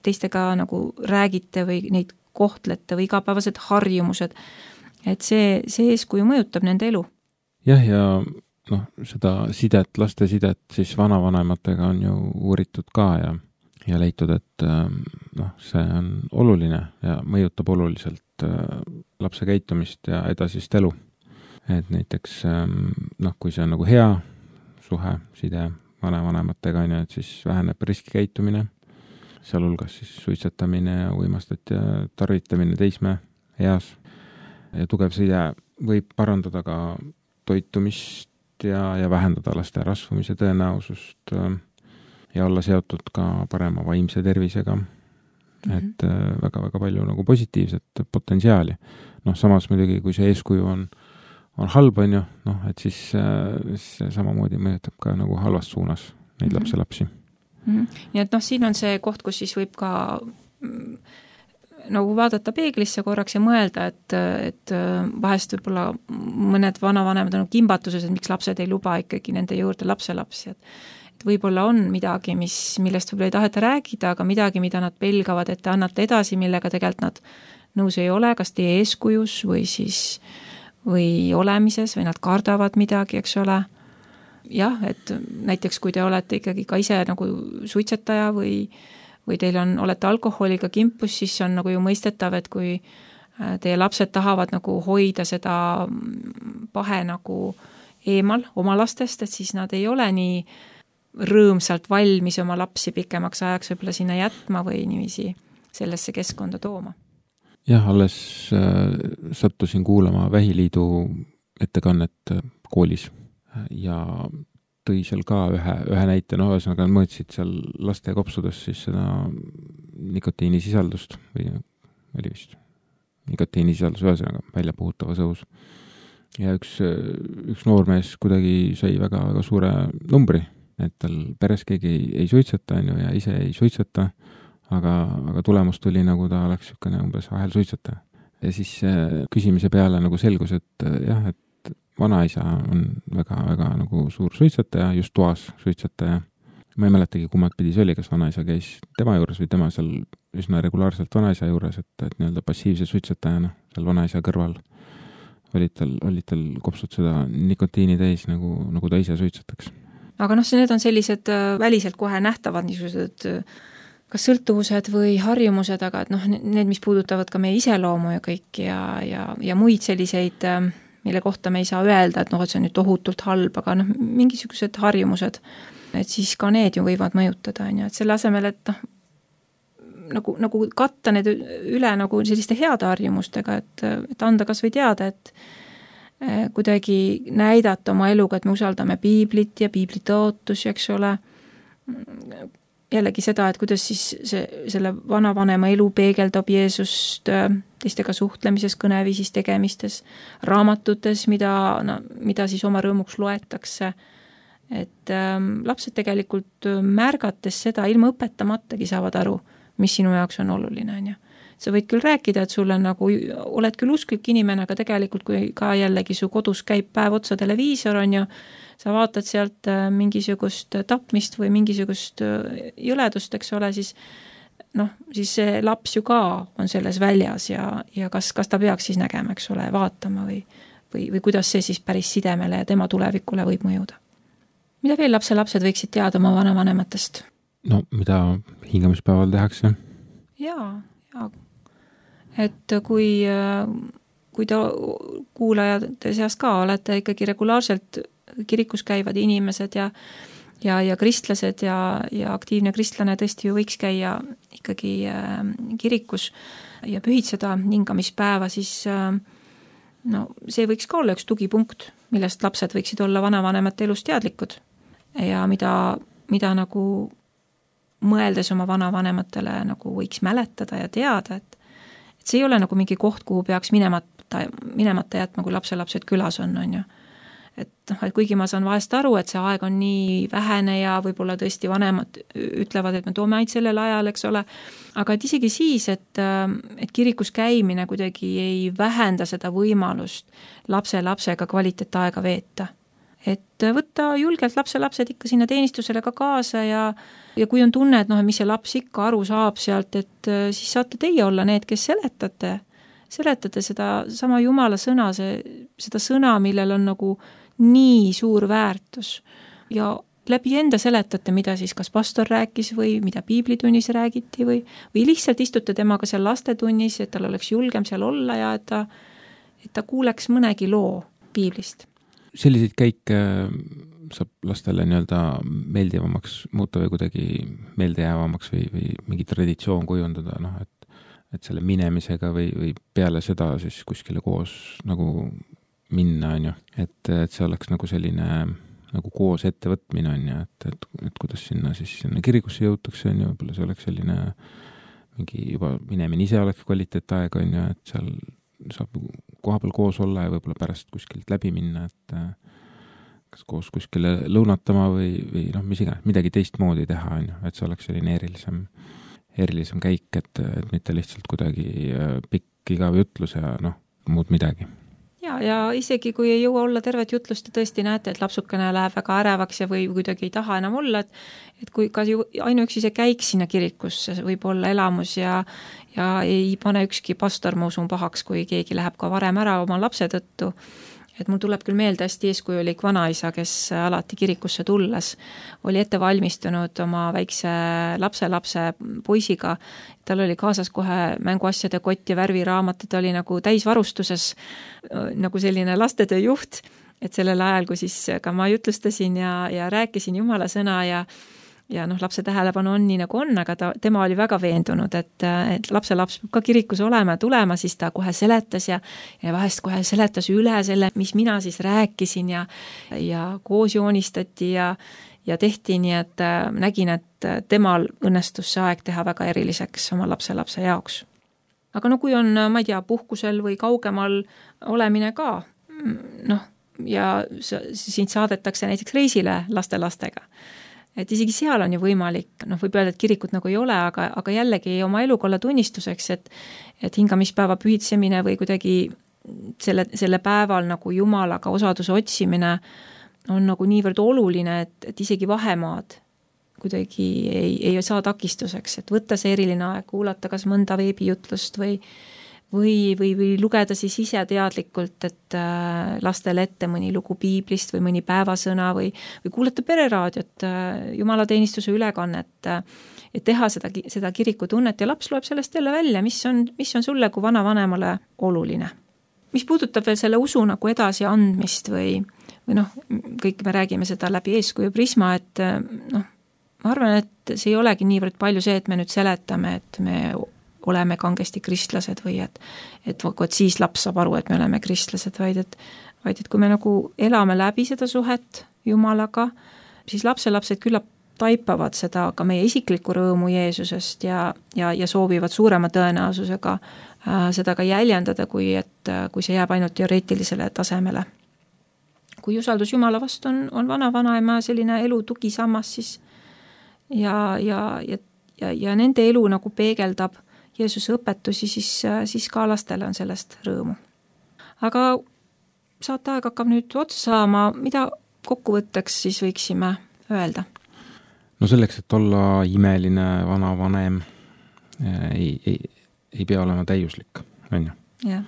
teistega nagu räägite või neid kohtlete või igapäevased harjumused, et see, see eeskuju mõjutab nende elu. Jah, ja noh, seda sidet, laste sidet siis vanavanematega on ju uuritud ka ja ja leitud, et noh, see on oluline ja mõjutab oluliselt lapse käitumist ja edasist elu. Et näiteks noh, kui see on nagu hea suhe, side vanavanematega, et siis väheneb riskikäitumine, seal hulgas siis suitsetamine ja uimastat ja tarvitamine teisme eas. ja tugev side võib parandada ka toitumist ja, ja vähendada laste rasvumise tõenäosust ja olla seotud ka parema vaimse tervisega. Mm-hmm. Et väga-väga palju nagu positiivset potentsiaali. Noh, samas muidugi, kui see eeskuju on, on halb, on ju, noh, et siis see samamoodi mõjutab ka nagu halvas suunas neid mm-hmm. lapselapsi. Mm-hmm. Nii et noh, siin on see koht, kus siis võib ka nagu vaadata peeglisse korraks ja mõelda, et, et vahest võib-olla mõned vanavanemad on kimbatuses, et miks lapsed ei luba ikkagi nende juurde lapselapsi, et, et võib-olla on midagi, mis, millest võib-olla ei taheta räägida, aga midagi, mida nad pelgavad, et te annate edasi, millega tegelikult nad nõus ei ole, kas teie eeskujus või siis või olemises või nad kardavad midagi, eks ole. Jah, et näiteks kui te olete ikkagi ka ise nagu suitsetaja või või teil on, olete alkoholiga kimpus, siis on nagu ju mõistetav, et kui teie lapsed tahavad nagu hoida seda pahe nagu eemal oma lastest, et siis nad ei ole nii rõõmsalt valmis oma lapsi pikemaks ajaks võib-olla sinna jätma või niiviisi sellesse keskkonda tooma. Jah, alles äh, sattusin kuulama Vähiliidu ettekannet koolis ja tõi seal ka ühe, ühe näite, no ühesõnaga mõõtsid seal laste kopsudes siis seda nikotiinisisaldust või oli vist nikotiinisisaldus ühesõnaga välja puhutavas õhus. Ja üks, üks noormees kuidagi sai väga, väga suure numbri, et tal peres keegi ei, ei suitseta on ju, ja ise ei suitseta, aga, aga tulemus tuli nagu ta oleks niisugune umbes ahel suitsetaja. Ja siis küsimise peale nagu selgus, et jah, et vanaisa on väga-väga nagu suur suitsetaja, just toas suitsetaja. Ma ei mäletagi, kumad pidi see oli, kas vanaisa käis tema juures või tema seal üsna regulaarselt vanaisa juures, et, et nii-öelda passiivse suitsetajana seal vanaisa kõrval olid tal, olid tal kopsud seda nikotiini täis, nagu, nagu ta ise suitsetaks. Aga noh, need on sellised väliselt kohe nähtavad niisugused kas sõltuvused või harjumused, aga et noh, need, mis puudutavad ka meie iseloomu ja kõik ja, ja, ja muid selliseid mille kohta me ei saa öelda, et noh, et see on nüüd tohutult halb, aga noh, mingisugused harjumused, et siis ka need ju võivad mõjutada, on ju, et selle asemel, et noh, nagu, nagu katta need üle nagu selliste heade harjumustega, et, et anda kas või teada, et kuidagi näidata oma eluga, et me usaldame piiblit ja piibli tõotusi, eks ole, jällegi seda, et kuidas siis see, selle vanavanema elu peegeldab Jeesust teistega suhtlemises, kõneviisis, tegemistes, raamatutes, mida, no, mida siis oma rõõmuks loetakse. Et ähm, lapsed tegelikult märgates seda ilma õpetamatagi saavad aru, mis sinu jaoks on oluline, on ju. Sa võid küll rääkida, et sul on nagu, oled küll usklik inimene, aga tegelikult kui ka jällegi su kodus käib päev otsa televiisor, on ju, sa vaatad sealt mingisugust tapmist või mingisugust jõledust, eks ole, siis noh, siis see laps ju ka on selles väljas ja, ja kas, kas ta peaks siis nägema, eks ole, vaatama või, või, või kuidas see siis päris sidemele ja tema tulevikule võib mõjuda. Mida veel lapse lapsed võiksid teada oma vanavanematest? No, mida hingamispäeval tehakse? Jaa, jaa. Et kui, kui te kuulajate seas ka olete ikkagi regulaarselt kirikus käivad inimesed ja, ja, ja kristlased ja, ja aktiivne kristlane tõesti ju võiks käia ikkagi äh, kirikus ja pühitseda hingamispäeva, siis äh, no, see võiks ka olla üks tugipunkt, millest lapsed võiksid olla vanavanemate elus teadlikud ja mida, mida nagu mõeldes oma vanavanematele nagu võiks mäletada ja teada, et, et see ei ole nagu mingi koht, kuhu peaks minemata, minemata jätma, kui lapselapsed külas on, on ju. Et, noh, et kuigi ma saan vahest aru, et see aeg on nii vähene ja võib-olla tõesti vanemad ütlevad, et me toome ainult sellel ajal, eks ole, aga et isegi siis, et, et kirikus käimine kuidagi ei vähenda seda võimalust lapse lapsega kvaliteetaega veeta. Et võtta julgelt lapselapsed ikka sinna teenistusele ka kaasa ja, ja kui on tunne, et noh, mis see laps ikka aru saab sealt, et siis saate teie olla need, kes seletate, seletate seda sama Jumala sõna, see, seda sõna, millel on nagu nii suur väärtus ja läbi enda seletate, mida siis kas pastor rääkis või mida piiblitunnis räägiti või, või lihtsalt istute temaga seal lastetunnis, et tal oleks julgem seal olla ja et ta, et ta kuuleks mõnegi loo piiblist. Selliseid käike saab lastele nii-öelda meeldivamaks muuta või kuidagi meeldejäävamaks või, või mingi traditsioon kujundada, noh, et et selle minemisega või, või peale seda siis kuskile koos nagu minna, on ju, et, et see oleks nagu selline nagu koos ettevõtmine, on ju, et, et, et kuidas sinna siis sinna kirikusse jõutakse, on ju, võib-olla see oleks selline mingi juba minemine ise oleks kvaliteetaeg, on ju, et seal saab koha peal koos olla ja võib-olla pärast kuskilt läbi minna, et kas koos kuskile lõunatama või, või noh, mis iganes, midagi teistmoodi teha, on ju, et see oleks selline erilisem, erilisem käik, et, et mitte lihtsalt kuidagi pikk igav jutlus ja noh, muud midagi. Ja, ja isegi kui ei jõua olla tervet jutlust ja tõesti näete, et lapsukene läheb väga ärevaks ja või kuidagi ei taha enam olla, et, et kui ka ju ainuüksi see käik sinna kirikusse võib olla elamus ja, ja ei pane ükski pastor, ma usun, pahaks, kui keegi läheb ka varem ära oma lapse tõttu. Et mul tuleb küll meelde hästi eeskujulik vanaisa, kes alati kirikusse tulles oli ette valmistunud oma väikse lapse-lapse poisiga. Tal oli kaasas kohe mänguasjade kott ja värviraamat, ta oli nagu täisvarustuses nagu selline lastetöö juht, et sellel ajal, kui siis ka ma jutlustasin ja, ja rääkisin Jumala sõna ja ja noh, lapse tähelepanu on nii nagu on, aga ta, tema oli väga veendunud, et, et lapse laps peab ka kirikus olema ja tulema, siis ta kohe seletas ja, ja vahest kohe seletas üle selle, mis mina siis rääkisin ja, ja koos joonistati ja, ja tehti nii, et nägin, et temal õnnestus see aeg teha väga eriliseks oma lapse-lapse jaoks. Aga no kui on, ma ei tea, puhkusel või kaugemal olemine ka, noh, ja sind saadetakse näiteks reisile laste-lastega, et isegi seal on ju võimalik, noh võib öelda, et kirikut nagu ei ole, aga, aga jällegi oma elukolla tunnistuseks, et, et hingamispäeva pühitsemine või kuidagi selle, selle päeval nagu Jumalaga osaduse otsimine on nagu niivõrd oluline, et, et isegi vahemaad kuidagi ei, ei saa takistuseks, et võtta see eriline aeg, kuulata kas mõnda veebijutlust või Või, või, või lugeda siis ise teadlikult, et lastele ette mõni lugu piiblist või mõni päevasõna või, või kuulata pereraadiot, jumalateenistuse ülekannet, et teha seda, seda kirikutunnet ja laps loeb sellest jälle välja, mis on, mis on sulle kui vanavanemale oluline. Mis puudutab veel selle usu nagu edasi andmist või, või noh, kõik me räägime seda läbi eeskuju prisma, et noh, ma arvan, et see ei olegi niivõrd palju see, et me nüüd seletame, et me oleme kangesti kristlased või et, et, et siis laps saab aru, et me oleme kristlased, vaid et, vaid et kui me nagu elame läbi seda suhet Jumalaga, siis lapselapsed küllap taipavad seda ka meie isiklikku rõõmu Jeesusest ja, ja, ja soovivad suurema tõenäosusega äh, seda ka jäljendada, kui, et, kui see jääb ainult teoreetilisele tasemele. Kui usaldus Jumala vastu on, on vana-vanaema selline elu tugisammas, siis ja, ja, ja, ja, ja nende elu nagu peegeldab Jeesuse õpetusi, siis, siis ka lastele on sellest rõõmu. Aga saateaeg hakkab nüüd otsa saama, mida kokkuvõtteks siis võiksime öelda? No selleks, et olla imeline vanavanem, ei, ei, ei pea olema täiuslik, on ju. Yeah.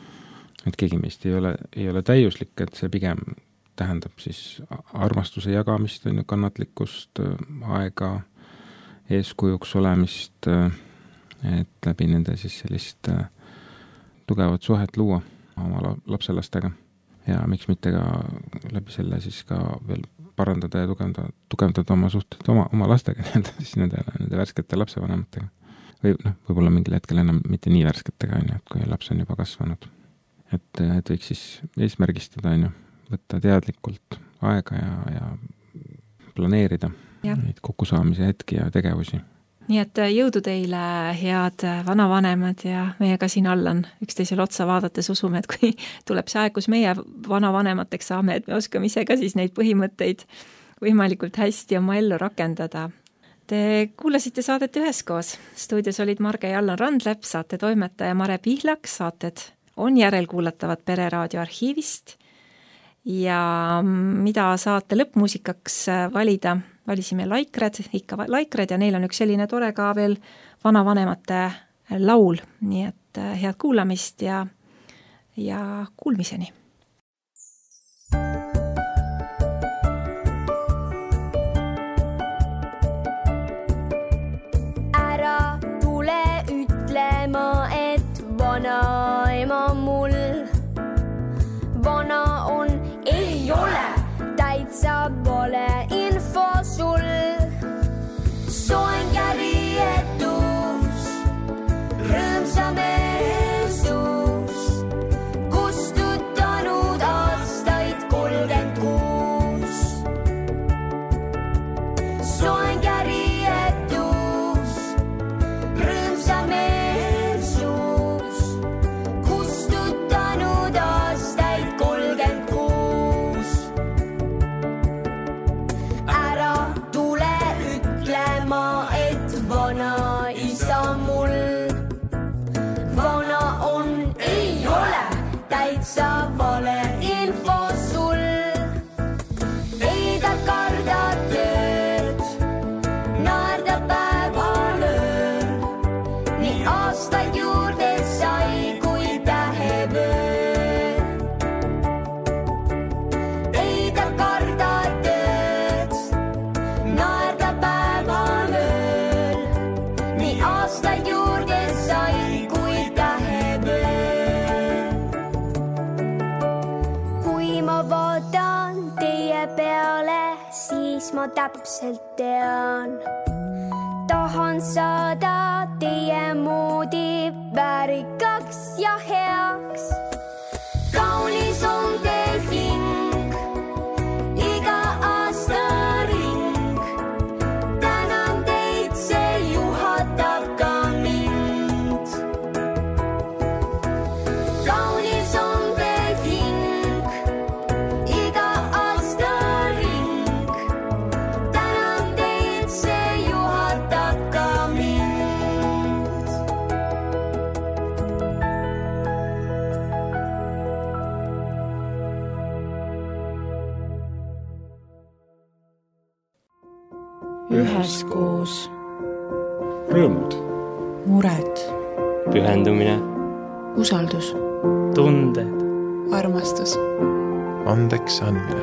Et keegi meist ei ole, ei ole täiuslik, et see pigem tähendab siis armastuse jagamist, on ju, kannatlikkust, aega, eeskujuks olemist, et läbi nende siis sellist äh, tugevat suhet luua oma lapselastega ja miks mitte ka läbi selle siis ka veel parandada ja tugevdada, tugevdada oma suhted oma, oma lastega, siis nende, nende värskete lapsevanematega. Või noh, võib-olla mingil hetkel enam mitte nii värsketega, on ju, et kui laps on juba kasvanud. Et, et võiks siis eesmärgistada, on ju, võtta teadlikult aega ja, ja planeerida ja. Neid kokkusaamise hetki ja tegevusi. Nii et jõudu teile, head vanavanemad ja meiega siin all on üksteisel otsa vaadates usume, et kui tuleb see aeg, kus meie vanavanemateks saame, et me oskame ise ka siis neid põhimõtteid võimalikult hästi oma ellu rakendada. Te kuulasite saadet üheskoos. Stuudios olid Marge ja Allan Randlepp, saate toimetaja Mare Pihlak, saated on järelkuulatavad Pereraadio arhiivist ja mida saate lõppmuusikaks valida, valisime Laikred, ikka Laikred ja neil on üks selline tore ka veel vanavanemate laul, nii et head kuulamist ja, ja kuulmiseni. Ära tule ütlema, et vanaema mul vana on, ei ole täitsa pole info sul. Soen käri etus, rõõmsame siis ma täpselt tean. Tahan saada teie moodi väärikaks ja heaks. Kaunis on teil hing, iga aasta ring. Tänan teid, see juhatab ka mind. Kaunis on teil hing, iga aasta ring. Tänan teid, see juhatab ka mind. üheskoos, rõõmud, mured, pühendumine, usaldus, tunded, armastus, andeks andmine,